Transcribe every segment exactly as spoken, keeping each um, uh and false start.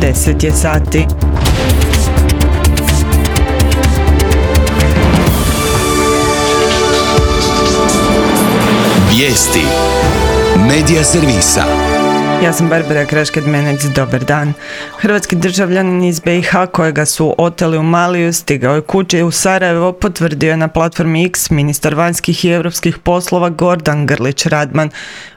deset je sati. Vijesti Medija servisa. Ja sam Barbara Krašked-Menec, dobar dan. Hrvatski državljanin iz be i ha kojega su oteli u Maliju stigao je kući u Sarajevo, potvrdio je na platformi X ministar vanjskih i europskih poslova Gordan Grlić Radman.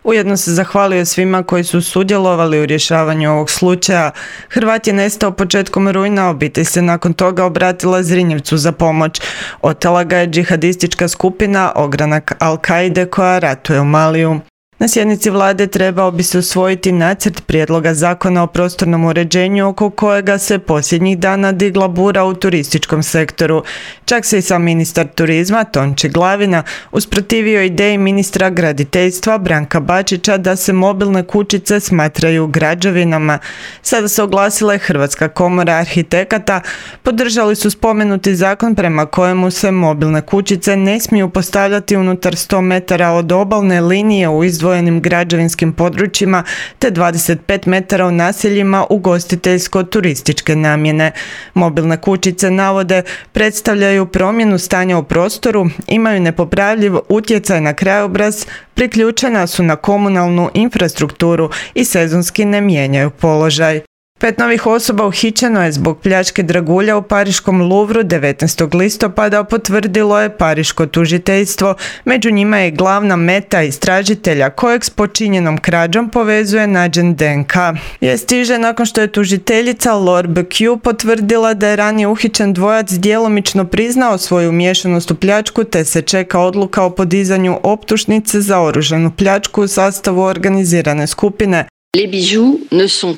Ujedno se zahvalio svima koji su sudjelovali u rješavanju ovog slučaja. Hrvat je nestao početkom rujna, obitelj se nakon toga obratila Zrinjevcu za pomoć. Otela ga je džihadistička skupina Ogranak Al-Kaide koja ratuje u Maliju. Na sjednici vlade trebao bi se usvojiti nacrt prijedloga zakona o prostornom uređenju oko kojega se posljednjih dana digla bura u turističkom sektoru. Čak se i sam ministar turizma Tonči Glavina usprotivio ideji ministra graditeljstva Branka Bačića da se mobilne kućice smatraju građevinama. Sada se oglasila je Hrvatska komora arhitekata, podržali su spomenuti zakon prema kojemu se mobilne kućice ne smiju postavljati unutar sto metara od obalne linije u izdvojenim građevinskim područjima te dvadeset pet metara u naseljima ugostiteljsko-turističke namjene. Mobilne kućice, navode, predstavljaju promjenu stanja u prostoru, imaju nepopravljiv utjecaj na krajobraz, priključena su na komunalnu infrastrukturu i sezonski ne mijenjaju položaj. Pet novih osoba uhićeno je zbog pljačke dragulja u pariškom Louvru devetnaestog listopada, potvrdilo je pariško tužiteljstvo. Među njima je glavna meta istražitelja kojeg s počinjenom krađom povezuje nađen de en ka. Vijest stiže nakon što je tužiteljica Laure Becue potvrdila da je ranije uhićen dvojac djelomično priznao svoju umiješanost u pljačku te se čeka odluka o podizanju optužnice za oružanu pljačku u sastavu organizirane skupine.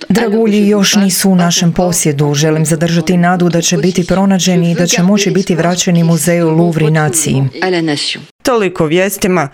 Dragulji još nisu u našem posjedu. Želim zadržati nadu da će biti pronađeni i da će moći biti vraćeni muzeju Louvre i naciji. Toliko vijestima.